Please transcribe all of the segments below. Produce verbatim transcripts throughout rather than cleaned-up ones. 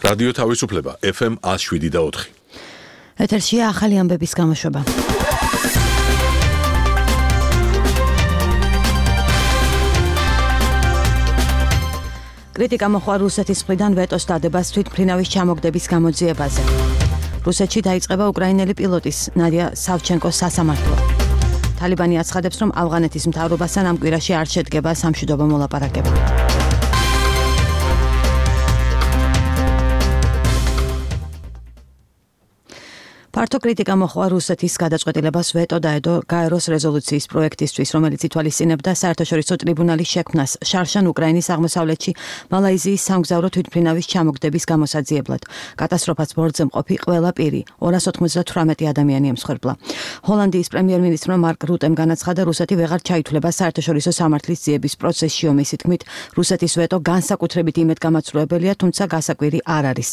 რადიო თავისუფლება ეფ ემ one oh seven და four. ეთერშია ახალი ამბების გამოშვება. კრიტიკა მოხდა რუსეთის მხრიდან ვეტოს დადებას თვითმფრინავის ჩამოგდების გამოძიებაზე. რუსეთში დაიწყება უკრაინელი პილოტის ნადია სავჩენკოს სასამართლო. თალიბანი აცხადებს, რომ ავღანეთის მთავრობასთან ამ კვირაში არ შედგება სამშვიდობო მოლაპარაკება. ფართო კრიტიკა მოხდა რუსეთის გადაწყვეტილებას ვეტო დაედო გაეროს რეზოლუციის პროექტისთვის, რომელიც ითვალისწინებდა საერთაშორისო ტრიბუნალის შექმნას შარშან უკრაინის აღმოსავლეთში მალაიზიის სამგზავრო თვითმფრინავის ჩამოგდების გამოსაძიებლად. კატასტროფას ბორცვზე მყოფი ყველა პირი ორას ოცდაოთხ ადამიანი ემსხვერპლა. ჰოლანდიის პრემიერ-მინისტრმა მარკ რუტემ განაცხადა, რუსეთი ვეღარ ჩაითვლება საერთაშორისო სამართლის ძიების პროცესში, ომის თქმით, რუსეთის ვეტო განსაკუთრებით იმედგამაცრუებელია, თუმცა გასაკვირი არ არის.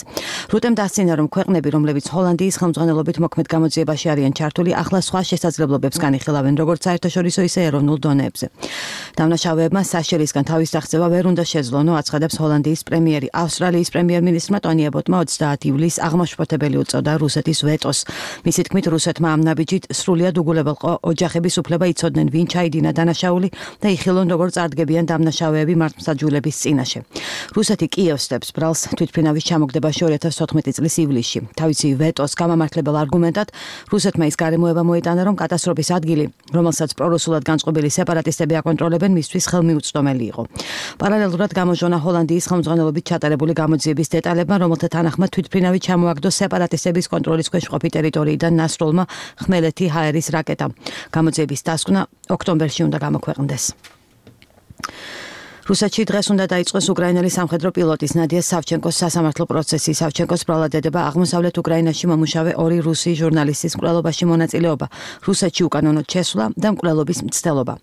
რუტემ დასცინა, რომ ქვეყნები, რომლებიც ჰოლანდიის ხელმძღვანელობით მოქმედ გამოძიებაში არიან ჩართული, ახლა სხვა შესაძლებლობებს განიხილავენ, როგორც საერთაშორისო, ისე ეროვნულ დონეებზე. დამნაშავეებმა საშელისგან თავის დაღწევა ვერ უნდა შეძლონო, აცხადებს ჰოლანდიის პრემიერი. ავსტრალიის პრემიერ-მინისტრმა ტონი აბოტმა ოცდაათი ივლისს აღმაშფოთებელი უწოდა რუსეთის ვეტოს. მისი თქმით, რუსეთმა ამ ნაბიჯით სრულიად უგულებელყო ოჯახების უფლება იცოდნენ, ვინ ჩაიდინა დანაშაული და იხილონ, როგორ წარდგებიან დამნაშავეები მართლმსაჯულების წინაშე. რუსეთი კიევს დებს ბრალს თვითმფრინავის ჩამოგდებაში ორი ათას თოთხმეტი წლის ივლისში. თავისი ვეტოს გამამართლებელ არგუმენტად რუსეთმა ის გარემოება მოიტანა, რომ კატასტროფის ადგილი, რომელსაც პრორუსულად განწყობილი სეპარატისტები აკონტროლებენ, მისთვის ხელმიუწვდომელი იყო. პარალელურად გამოჟონა ჰოლანდიის ხელმძღვანელობით ჩატარებული გამოძიების დეტალებმა, რომელთა თანახმად თვითმფრინავი ჩამოაგდო სეპარატისტების კონტროლის ქვეშ მყოფი ტერიტორიიდან ნასროლმა ხმელეთი ჰაერის რაკეტამ. გამოძიების დასკვნა ოქტომბერში უნდა გამოქვეყნდეს. რუსეთში დღეს უნდა დაიწყოს უკრაინელი სამხედრო პილოტის ნადია სავჩენკოს სასამართლო პროცესი. სავჩენკოს ბრალადედება აღმოსავლეთ უკრაინაში მომუშავე ორი რუსი ჟურნალისტის მკვლელობაში მონაწილეობა, რუსეთში უკანონოდ შესვლა და მკვლელობის მცდელობა.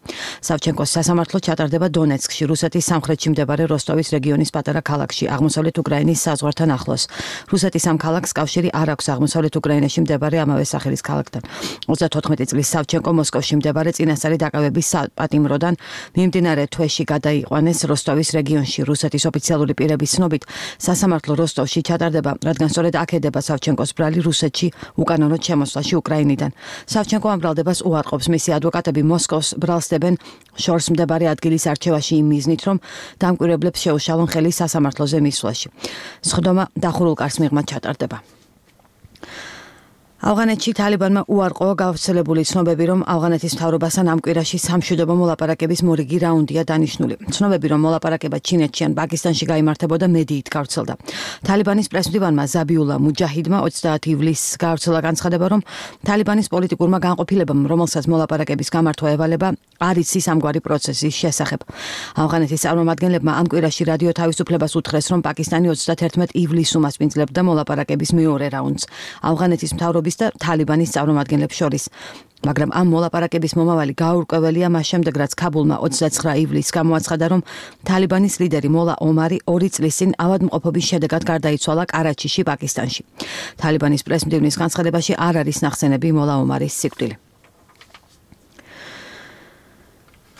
სავჩენკოს სასამართლო ჩატარდება დონეცკში, რუსეთის სამხრეთში მდებარე როსტოვის რეგიონის პატარა ქალაქში, აღმოსავლეთ უკრაინის საზღვართან ახლოს. რუსეთის ამ ქალაქს კავშირი არ აქვს აღმოსავლეთ უკრაინაში მდებარე ამავე სახელის ქალაქთან. ოცდათოთხმეტი წლის სავჩენკო მოსკოვში მდებარე წინასწარი დაკავების საპატიმროდან მიმდინარე თვეში გადაიყვანეს როსტოვის რეგიონში. რუსეთის ოფიციალური პირების ცნობით, სასამართლო როსტოვში ჩატარდება, რადგან სწორედ აქ ედება სავჩენკოს ბრალი რუსეთში უკანონოდ შემოსვლაში უკრაინიდან. სავჩენკო ამ ბრალდებას უარყოფს. მისი ადვოკატები მოსკოვს ბრალს დებენ შორს მდებარე ადგილის არჩევაში იმ მიზნით, რომ დამკვირვებლებს შეუშალონ ხელი სასამართლოზე მისვლაში. სხდომა დახურულ კარს მიღმა ჩატარდება. ავღანეთში თალიბანმა უარყო გავრცელებული ცნობები, რომ ავღანეთის მთავრობასთან ამ კვირაში სამშვიდობო მოლაპარაკების მორიგი რაუნდია დანიშნული. ცნობები, რომ მოლაპარაკება ჩინეთში ან პაკისტანში გაიმართებოდა, მედიით გავრცელდა. თალიბანის პრესმდივანმა ზაბიულა მუჯაჰიდმა ოცდაათი ივლისს გავრცელა განცხადება, რომ თალიბანის პოლიტიკურმა განყოფილებამ, რომელსაც მოლაპარაკების გამართვა ევალება, არ იცის ამგვარი პროცესის შესახებ. ავღანეთის წარმომადგენლებმა ამ კვირაში რადიო თავისუფლებას უთხრეს, რომ პაკისტანი ოცდაათერთმეტი ივლისს უმასპინძლებდა მოლაპარაკების მეორე რაუნდს. ავღანეთის მთავრობის და თალიბანის წარმომადგენლებს შორის. მაგრამ ამ მოლაპარაკების მომავალი გაურკვეველია მას შემდეგ, რაც ქაბულმა ოცდაცხრა ივლისს გამოაცხადა, რომ თალიბანის ლიდერი მოლა ომარი ორი წლის წინ ავადმყოფობის შედეგად გარდაიცვალა კარაჩიში, პაკისტანში. თალიბანის პრესმდივნის განცხადებაში არ არის ნახსენები მოლა ომარის სიკვდილი.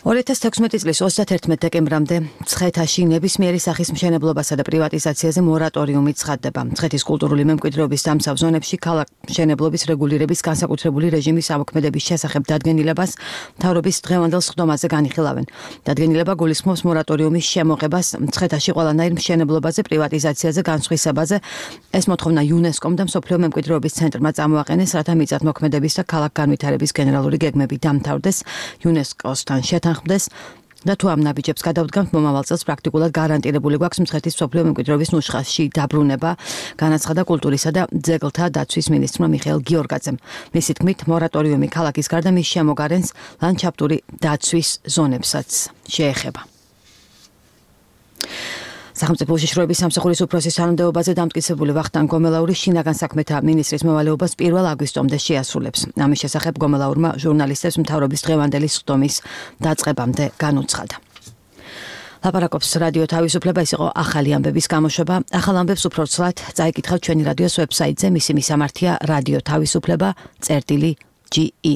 ორი ათას თექვსმეტი წლის ოცდაათერთმეტი დეკემბრამდე მცხეთაში ნებისმიერი სახის მშენებლობასა და პრივატიზაციაზე მორატორიუმი ცხადდება. მცხეთის კულტურული მემკვიდრეობის დამცავ ზონებში ქალაქ მშენებლობის რეგულირების განსაკუთრებული რეჟიმის ამოქმედების შესახებ დადგენილებას მთავრობის დღევანდელ სხდომაზე განიხილავენ. დადგენილება გულისხმობს მორატორიუმის შემოღებას მცხეთაში ყველანაირ მშენებლობაზე, პრივატიზაციაზე, განსხვისებაზე. ეს მოთხოვნა იუნესკომ და მსოფლიო მემკვიდრეობის ცენტრმა წამოაყენეს, რათა მიწათმოქმედების და ქალაქ განვითარების გენერალური გეგმები დამთავრდეს, იუნესკოსთან შეთანხმდეს და თუ ამ ნაბიჯებს გადავდგამთ, მომავალ წელს პრაქტიკულად გარანტირებული გვაქვს მცხეთის მსოფლიო მემკვიდრეობის ნუშხაში დაბრუნება, განაცხადა კულტურისა და ძეგლთა დაცვის მინისტრმა მიხეილ გიორგაძემ. მისი თქმით, მორატორიუმი ქალაქის გარდა მის შემოგარენს ლანდშაფტური დაცვის ზონებსაც შეეხება. სახელმწიფო უშიშროების სამსახურის უფროსის თანამდებობაზე დამტკიცებული ვახტანგ გომელაური შინაგან საქმეთა მინისტრის მოვალეობას პირველ აგვისტომდე შეასრულებს. ამის შესახებ გომელაურმა ჟურნალისტებს მთავრობის დღევანდელი სხდომის დაწყებამდე განუცხადა. ლაპარაკობს რადიო თავისუფლება, ეს იყო ახალი ამბების გამოშვება. ახალ ამბებს უფრო ცვლად წაიკითხავთ ჩვენი რადიოს ვებსაიტზე, მისი მისამართია რადიო თავისუფლება წერტილი ჯი ი.